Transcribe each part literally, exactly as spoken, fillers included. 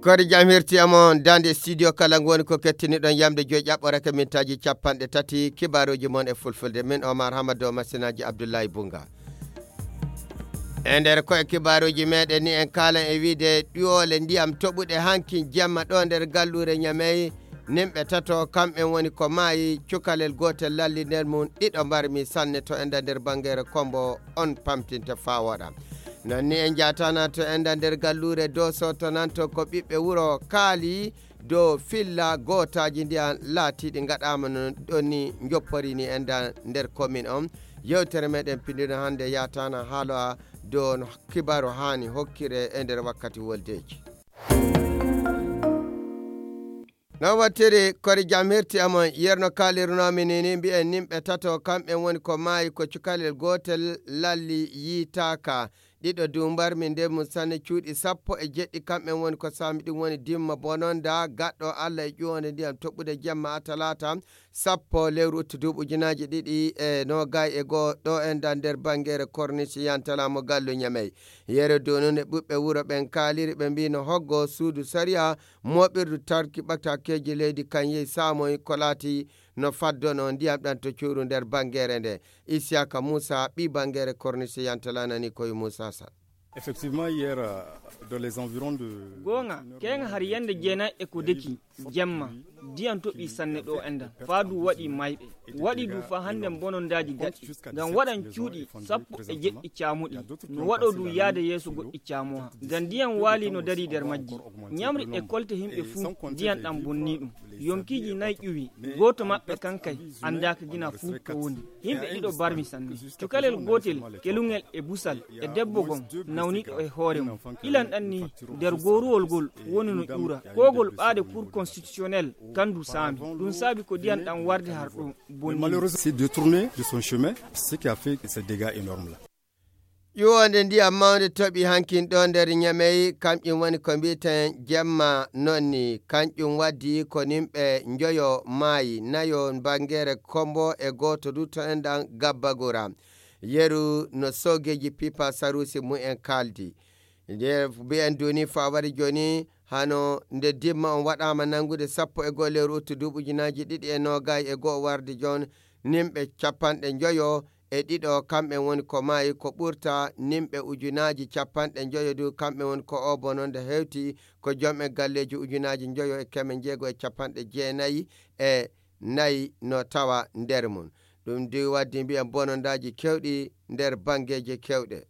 Kori jam hirti amon dande studio kala ngoni ko kettiniɗon yamde joyi ƴaɓɓorake mintaaji capanɗe tati kibaaruuji mon e fulfulde. Min Omar Hamado masinaaji Abdullahi Bunga. E nder koye kibaaruuji meɗen ni en kaalan e wiide ɗiwole ndiyam toɓuɗe hanki jemma ɗo nder galluure Ñamey. Nimɓe tato kamɓen woni ko maayi cukalel gootel lalli nder mum ɗiɗo mbarmi sanne to enda nder bangeere kombo on pamtinta faa woɗa. Non ni en jaatana to enda nder galluure Dooso to nanto ko ɓiɓɓe wuro kaali dow filla gootaaji ndiyan laatiiɗi ngaɗaama no ɗon ni njopporini enda nder komin on. Yewtere meɗen pindino hannde yaatana haaloa dow no kibaru haani hokkire e nder wakkati woldeeji. Non wattiri kori jam hirti amon yerno kaalirunoomi ni ni mbi'en nimɓe tato kamɓen woni ko maayi ko cukalel gootel lalli yiitaaka. Ɗiɗo dumbarmi nder mum sanne cuuɗi sappo e jeɗɗi kamɓen woni ko saami ɗum woni dimma bononda gaɗɗo Allah e ƴuwonde ndiyam toɓɓude jemma a talaata sappo lewru uttu duuɓi ujunaaji ɗiɗi e noogay e goo ɗo enda nder bangeere kornisi yantala mo gallu Ñamey. Yere donunde ɓuɓɓe wuro ɓen kaaliri ɓe mbi no hoggo suudu sariya mooɓirdu tarki ɓatakeeji leydi kan yehi saamoy ko laati no faddono ndiyam ɗan to cuuru nder bangeere nde. Isiyaka Muusa ɓii bangeere kornisi yantala nani koye Muusa Sal. Effectivement, hier, euh, dans les environs de goonga keeŋa har yande jeenay e ko deki jemma diyan toɓi sanne ɗo endan faa du waɗi mayɓe waɗi du faa hannden bonondaaji daɗɗi ngam waɗan cuuɗi sappo e jeɗɗi caamuɗi no waɗo du yaade yeeso goɗɗi caamoha ngam ndiyan waali no dari nder majji. Ñamri e kolte himɓe fuu ndiyan ɗan bonni ɗum. Yonkiiji nay ƴuwi gooto maɓɓe kankay anndaaka gina fuu ko woni. Yimɓe ɗiɗo barmi sanne. Cukalel gootel kelungel e busal e debbo gom nawniɗo e hoore mum. Ilan ɗan ni nder gooruwol ngol woni no ƴuura. Kogol ɓaade cour constitutionnel kandu saami ɗum saabi ko diyan ɗan warde har ɗo bonni. Malheureux s'est détourné de son chemin, ce qui a fait ces dégâts énormes là. Ƴuwonde ndiyam mawnde toɓi hankin ɗo nder Ñamey, kanƴum woni ko mbiiten jemma non ni. Kanƴum waddi ko nimɓe njoyo maayi, nayo bangeere Kombo e gooto du to enɗan Gabbagura. Yeru no soogeeji pipa saruusi mumen kaaldi. Nde mbiyen duni fawari jooni hano nde dimma on waɗaama nanngude sappo e goo lewru uttu duuɓi ujunaaji ɗiɗi e noogay e goo warde joon nimɓe capanɗe njoyo e ɗiɗo kamɓe woni ko maayi ko ɓurta nimɓe ujunaaji capanɗe njoyo du kamɓe woni ko oo bononde hewti ko jom e galleeji ujunaaji njoyo e keme njeego e capanɗe jeenayi e nayi no tawa nder mum. Ɗum du waddi mbiyen bonondaaji kewɗi nder banngeeji kewɗe.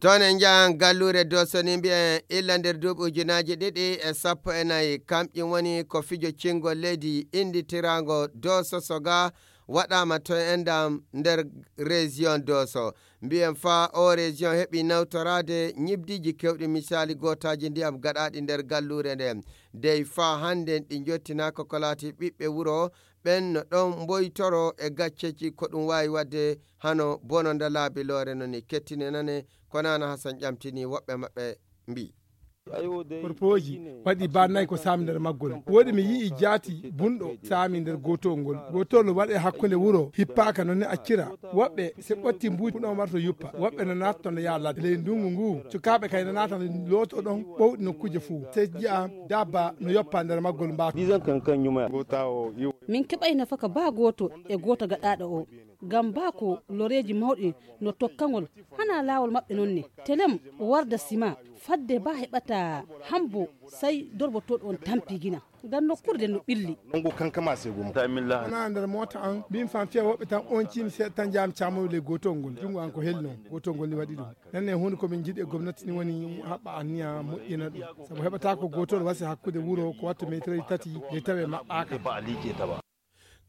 Toon en njahan galluure Dooso ni mbiyen illa nder duuɓi ujunaaji ɗiɗi e sappo e nayi kamƴum woni ko fijo cingol leydi innditiraango Dooso Soga waɗaama to enɗam nder région Dooso. Mbiyen faa oo région heɓi nawtoraade ñibdiiji kewɗi misaali gootaaji ndiyam gaɗaaɗi nder galluure nden. Dey faa hannden ɗi njottinaaka ko laati ɓiɓɓe wuro ɓen no ɗon mboytoro e gacceeji ko ɗum waawi waɗde hano bononda laabi loore no ni. Kettine nane ko Nana Hasan ƴamtini woɓɓe maɓɓe mbii. Korpooji waɗi baa nayi ko saami nder maggol. Woodi mi yi'i jaati bunɗo saami nder gootol ngol. Gootol no waɗe hakkunde wuro hippaaka no ni accira. Woɓɓe se ɓotti mbuuji ɗon warto yuppa. Woɓɓe no naatto no yaha ladde. Ley ndungu ngu, cukaaɓe kay no naata no looto ɗon ɓowɗi nokkuuje fuu. Sey ji'a dabba no yoppa nder maggol mbaaka. Min keɓay nafaka baa gooto e gooto gaɗaaɗo o. Ngam baa ko loreeji mawɗi no tokkangol, hanaa laawol maɓɓe non ne. Telem o warda sima, fadde baa heɓata hambo, sey dorbotooɗo on tampi gina. Ngam nokkuure nden no ɓilli. Hanaa nder moota an, mbin fan fiya woɓɓe tan on ciimi seeɗa tan njaami caamoyo ley gootol ngol. Junngo an ko heli non, gootol ngol ni waɗi ɗum. Nden ne huunde ko min njiɗi e gomnati ni woni haɓɓa anniya moƴƴina ɗum. Sabu heɓata ko gootol wasi hakkunde wuro ko wattu meetiraaji tati, de tawe maɓɓaaka.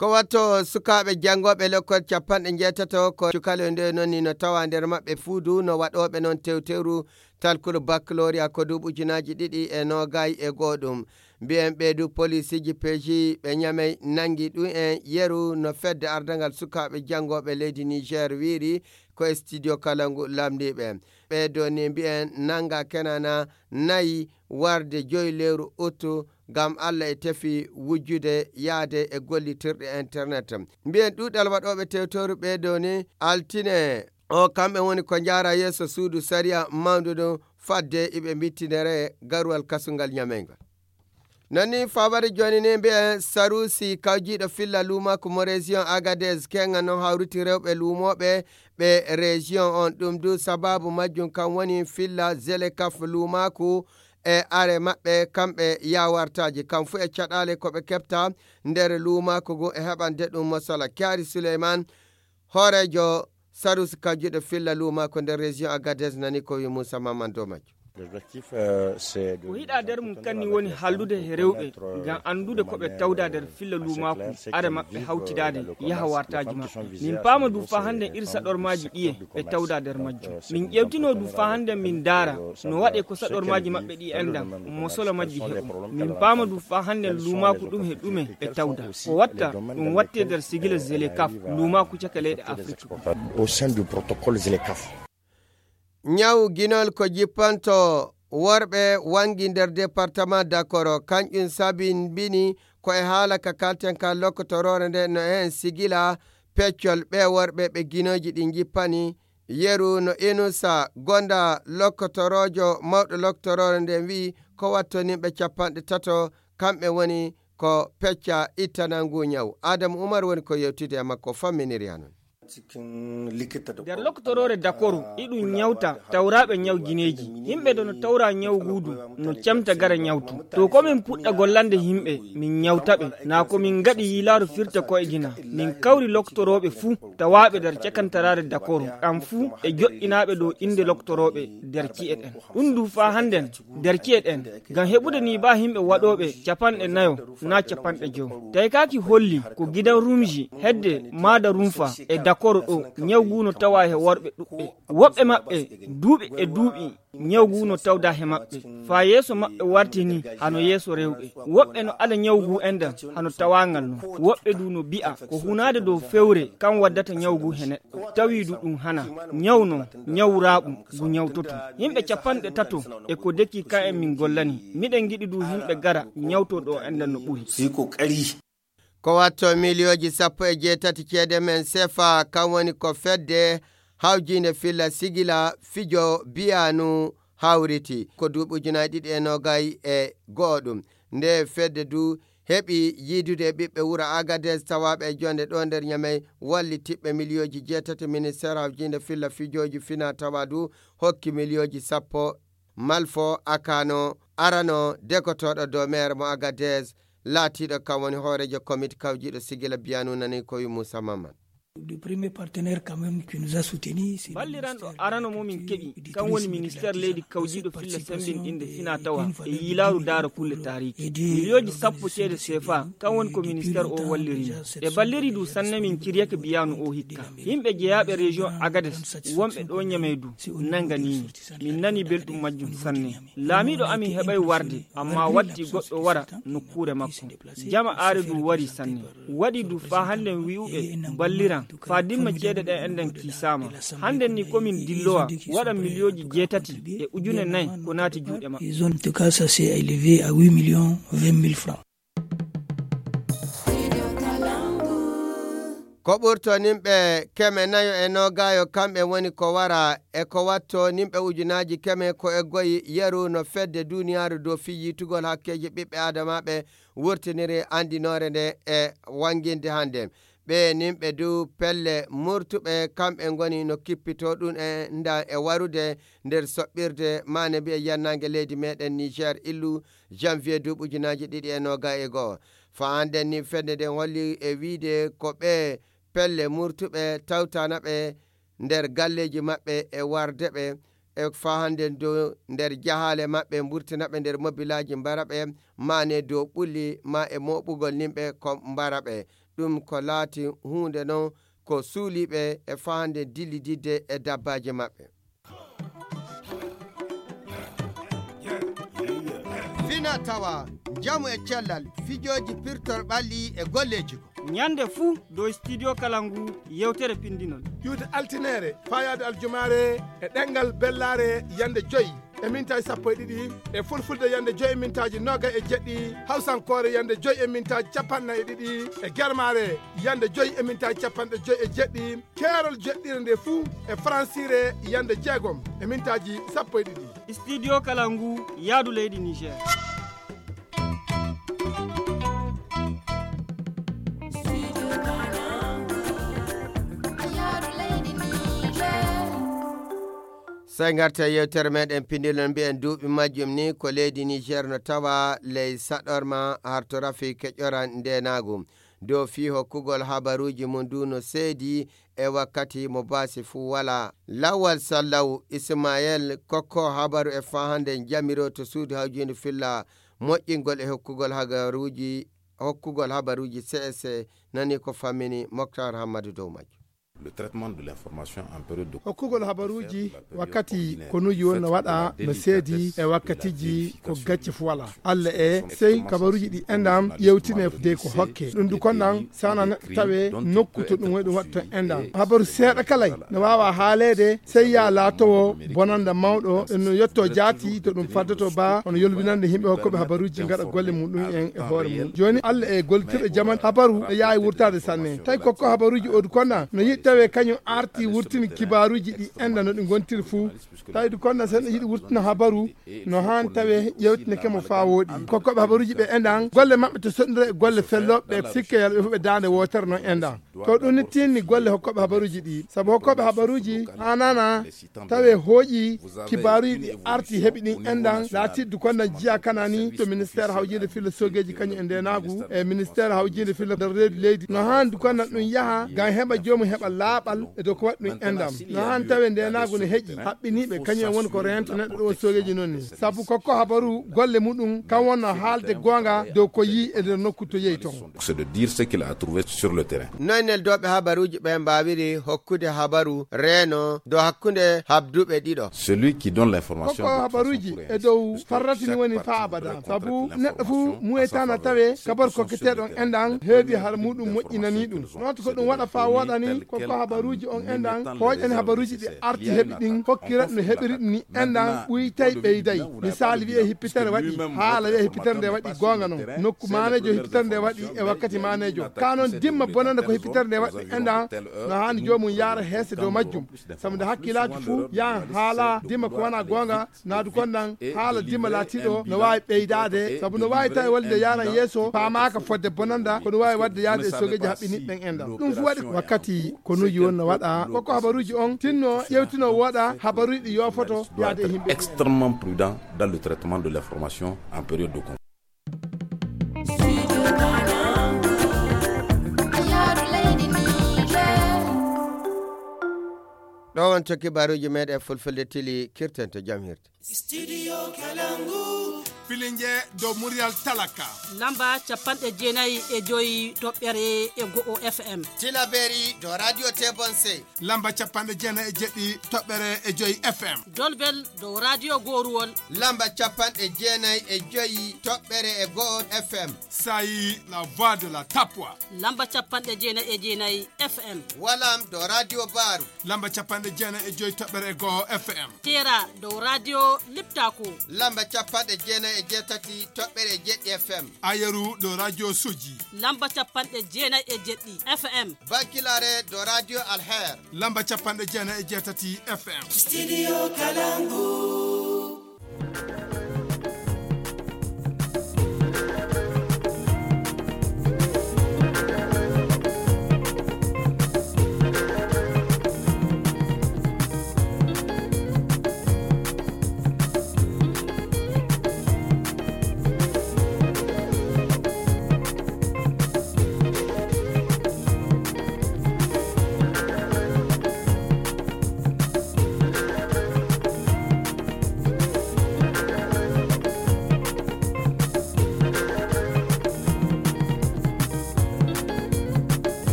Ko watto sukaaɓe janngooɓe lekkol capanɗe njeetato ko cukale nde noon ni no tawa nder maɓɓe fuudu no waɗooɓe noon tewtewru talkuru baccalauréat ko duuɓi ujunaaji ɗiɗi e noogay e goo ɗum. Mbiyen ɓee du polisiiji peeji ɓe ñamey nanngi ɗum en yeru no fedde ardangal sukaaɓe janngooɓe leydi Niger wiiri ko e studio kala ngu lamndiiɓe. Ɓee do ni mbiyen nannga kenana nayi warde joyi lewru uttu ngam Allah e tefi wujjude yaade e gollitirɗe internet. Mbiyen ɗuuɗal waɗooɓe tewtooru ɓee do ni altine O kamɓe woni ko njaara yeeso suudu sariya mawndu ɗum fadde iɓe mbittinere garuwal kasungal ñameyngal. Non ni fawade jooni ni mbiyen Sarusi kawjiiɗo filla luumaaku mo région Agadez kenga non hawriti rewɓe luumooɓe ɓe région on. Ɗum du sababu majjum kan woni filla Zelekaf luumaaku e are maɓɓe kamɓe yawartaaji. Kam fu e caɗaale ko ɓe keɓta nder luumaaku ngu e heɓande ɗum mosala. Kyari Suleyman, hooreejo Sarusi kawjiiɗo filla luumaaku nder région Agadez nani ko wi Moussa Maman dow majjum. Ko hiɗa nder mum kanni woni hallude he rewɓe ngam anndude ko ɓe tawda nder filla luumaaku, are maɓɓe hawtidaade yaha wartaaji maɓɓe. Min paama du faa hannden iri saɗormaaji ɗiye ɓe tawda nder majjum. Min ƴeewtino du faa hannden min ndaara no waɗe ko saɗormaaji maɓɓe ɗi endan, mo solo majji heɓu. Min paama du faa hannden luumaaku ɗum he ɗume ɓe tawda. Ko watta, ɗum watte nder sigila Zelekaf, luumaaku caka leyɗe Afrik. Au sein du protocole Zelekaf. Ñaw ginol ko jippanto worɓe wangi nder département Dakoro, kanƴum sabinbini ko e haala ka kalten ka lokkotoroore nde no heen sigila peccol ɓe worɓe ɓe ginooji ɗi jippani. Yeru no Inusa Gonda lokkotoroojo mawɗo lokkotoroore nden wi'i ko wattonimɓe capanɗe tato kamɓe woni ko pecca ittana ngu ñaw. Adamu Umar woni ko yewtide e makko famminiri hanon. Nder lokkotoroore Dakoro iɗum ñawta tawraaɓe ñaw gineeji. Yimɓe do no tawra ñaw guudu no camta gara ñawtu. To ko min puɗɗa gollande yimɓe min ñawta ɓe. Naa ko min ngaɗi yiilaaru firta ko e gina. Min kawri loktorooɓe fuu tawaaɓe nder cakantaraare Dakoro. Ɗam fuu e joɗɗinaaɓe dow innde loktorooɓe nder ci'e ɗen. Ɗum du faa hannden nder ci'e ɗen ngam heɓude ni baa yimɓe waɗooɓe capanɗe nayo naa capanɗe jowo. Taykaaki holli ko gidan rumji hedde maada rumfa e Dakoro ɗo ñaw ngu no tawaa he worɓe ɗuɓɓe. Woɓɓe maɓɓe duuɓi e duuɓi ñaw ngu no tawda he maɓɓe. Faa yeeso maɓɓe warti ni hano yeeso rewɓe. Woɓɓe no ada ñaw ngu endan hano tawaangal non. Woɓɓe du no bi'a ko hunaade dow fewre kan waddata ñaw ngu he neɗɗo. Tawi du ɗum hana. Ñaw non, ñaw raaɓu ngu ñawtoto. Yimɓe capanɗe tato e ko deki kan en min gollani. Miɗen ngiɗi du yimɓe gara ñawto ɗo endan no ɓuri. Ko watto miliyooji sappo e jeetati ceede men sefa, kan woni ko fedde hawjiinde filla sigila fijo biyanu hawriti. Ko duuɓi ujunaaji ɗiɗi e noogay e go'o ɗum. Nde fedde du heɓi yiidude e ɓiɓɓe wuro Agadez tawaaɓe e jonde ɗo nder Ñamey, wallitiɓɓe miliyooji jeetati. Ministeer hawjiinde filla fijooji fina tawa du hokki miliyooji sappo. Malfo Akano arano dekotooɗo dow meer mo Agadez, laatiiɗo kam woni hooreejo komiti kawjiiɗo sigila biyanu nani ko wi Moussa Maman. Balliranɗo arano mo min keɓi kan woni ministeer leydi kawjiiɗo filla sembinɗinde fina tawa e yiilaaru daara kulle taariki. Miliyooji sappo ceede sefa kan woni ko ministeer o walliri. E balliri du sanne min ciryake biyanu o hikka. Yimɓe jeyaaɓe région Agades wonɓe ɗo Ñamey du nanganiimi. Min nani belɗum majjum sanne. Laamiiɗo amin heɓay warde, amma watti goɗɗo wara nokkuure makko. Jama aare du wari sanne. Waɗi du faa hannden wi'uɓe balliran faa dimma ceede ɗen enɗen kiisaama. Hannden ni komin dillowa waɗa miliyooji jeetati e ujune nayi ko naati juuɗe maɓɓe. Ils ont, en tout cas, ça s'est élevé à huit millions vingt mille francs. Ko ɓurto nimɓe keme nayo e noogaayo kamɓe woni ko wara e ko watto nimɓe ujunaaji keme ko e goyi yeru no fedde duniyaaru dow fii yiitugol hakkeeji ɓiɓɓe aadamaaɓe wurtiniri anndinoore nde e wannginde hannde. Ɓe nimɓe du pelle murtuɓe kamɓe ngoni no kippitoo ɗum e nda e warude nder soɓɓirde maane mbiye yannaange leydi meɗen Niger illu janvier duuɓi ujunaaji ɗiɗi e noogay e go'o. Faa hannden ni fedde nden holli e wiide ko ɓe pelle murtuɓe tawtana ɓe nder galleeji maɓɓe e warde ɓe e faa hannden dow nder jahaale maɓɓe mburtina ɓe nder mobilaaji mbara ɓe maane dow ɓulli ma e mooɓugol nimɓe ko mbara ɓe. Ɗum ko laati huunde non ko suuliiɓe e faa hannden dillididde e dabbaaji maɓɓe. Fina tawa, njamu e cellal, fijooji pirtor ɓalli e golleeji ko. Ñande fuu dow studio kala ngu yewtere pindinol. Ƴuwde altineere, faayaade aljumaare e ɗemngal bellaare yande joyi. e mintaaji sappo e ɗiɗi, e fulfulde yande joyi e mintaaji noga e jeɗɗi, hawsankoore yande joyi e mintaaji capanɗe nayi e ɗiɗi, e germaare yande joyi e mintaaji capanɗe joyi e jeɗɗi, keerol jeɗɗire nde fuu e faransire yande jeegom e mintaaji sappo e ɗiɗi. Studio Kalangu, yaadu leydi Niger. Sey ngarta e yewtere meɗen pindilon mbiyen duuɓi majjum ni ko leydi Niger no tawa ley saɗorma harto rafi keƴora ndenaagu. Dow fii hokkugol habaruuji mum du no seedi e wakkati mo baasi fuu walaa. Lawal Sallaw Ismael kokko habaru e fahande jamiro to suudu hawjinde filla moƴƴingol e hokkugol habaruuji, hokkugol habaruuji C S C nani ko fammini Moktar Hammadu dow majjum. Le traitement de l'information en période de hokkugol habaruuji wakkati ko nuuji won no waɗa no seedi e wakkatiji ko gacce fu wala. Allah e sey kabaruuji ɗi enɗam yewtine de ko hokke. Ɗum du konɗam sana neɗɗo tawe nokku to ɗum woni ɗum waɗa toon enɗam. Habaru seeɗa kalay no waawa haaleede sey yaa laatowo bonanda mawɗo no yetto jaati to ɗum faddoto ba hono yolbinande yimɓe hokkooɓe habaruuji ngaɗa golle muɗum en e hoore mum. Jooni Allah e gollitirɗo jaman habaru no yaawi wurtaade sanne. Tawi kokko habaruuji odu konɗam no yiɗi tawe kañum arti wurtini kibaaruuji ɗi enɗam no ɗi ngontiri fuu. Tawi du konɗam sen yiɗi wurtina habaru no haan tawe ƴewtineke mo faa wooɗi. Kokkooɓe habaruuji ɓe enɗam golle maɓɓe to soɗndira e golle fellooɓe ɓe sikke yalɓe fof ɓe daande wootere noon enɗam. To ɗum ni tinni golle hokkooɓe habaruuji ɗi. Sabu hokkooɓe habaruuji haanana tawe hooƴi kibaaruuji ɗi arti heɓi ɗin enɗam laatiddu konɗam jiya kana ni to ministère hawjinde filla sogeeji kañum e ndenaagu e ministère hawjinde filla nder reedu leydi. No haandi konɗam ɗum yaha ngam heɓa joomum heɓa laaɓal e dow ko waɗi ɗum enɗam. No haandi tawe ndenaagu ne heƴi haɓɓiniiɓe kañum en woni ko reento neɗɗo ɗo sogeeji noon ni. Sabu kokko habaru golle muɗum kam wonno haalde goonga dow ko yii e nder nokku to yehi toon. C'est de dire ce qu'il a trouvé sur le terrain. Noy neldooɓe habaruuji ɓe mbaawiri hokkude habaru reeno dow hakkunde habduɓe ɗiɗo? Celui qui donne l'information kokko habaruuji e dow farratini woni faa abada. Sabu neɗɗo fuu muuyetaana tawe kabaru kokketeeɗo on enɗam heedi har muɗum moƴƴinanii ɗum. Noota ko ɗum waɗa faa wooɗani kokko habaruuji on enɗam hooƴani habaruuji ɗi arti heɓi ɗin hokkira no heɓiri ɗum ni enɗam ɓuytay ɓeyday. Misaali wiyee hippitere waɗi haala wiyee hippitere nde waɗi goonga noon nokku maaneejo hippitere nde waɗi e wakkati maaneejo ka noon dimma bonande ko hippitere nde waɗi enɗam no haani joomum yaara heese dow majjum. Sabu nde hakkiilaaji fuu yahan haala dimma ko wonaa goonga naadu konɗam haala dimma laatiiɗo no waawi ɓeydaade sabu no waawi tawi wonde yaran yeeso paamaaka fodde bonanda kono waawi waɗde yaade e sogeeji haɓɓiniiɓe ɓen enɗam ɗum fu waɗi wakkati ko nuuji won no waɗa koko habaruuji on tinno ƴewtino wooɗa habaruuji ɗi yoofoto yaade e yimɓe. Extrêmement prudent dans le traitement de l'information en période de conflit. Ɗo wonto kibaruuji meɗen fulfulde tili kirten to jam hirde. Studio Kalangu. Filinge dow muryal talaka. Lamba capanɗe jeenayi e joyi toɓɓere e go'o F M. Tilaberi dow Radio Tebonse. Lamba capanɗe jeenayi e jeɗɗi toɓɓere e joyi F M. Dolbel dow Radio Goruwol. Lamba capanɗe jeenayi e joyi toɓɓere e go'o F M. Sayi la voix de la Tapwa. Lamba capanɗe jeenayi e jeenayi F M. Walam dow Radio Baru. Lamba capanɗe jeenayi e joyi toɓɓere e go'o F M. Tera dow Radio Liptako. Lamba capanɗe jeenayi e jeetati toɓɓere e jeɗɗi F M. Ayeru dow Radio Soji. Lamba capanɗe jeenayi e jeɗɗi F M. Bankilare dow Radio Alher. Lamba capanɗe jeenayi e jeetati F M. Studio Kalangu.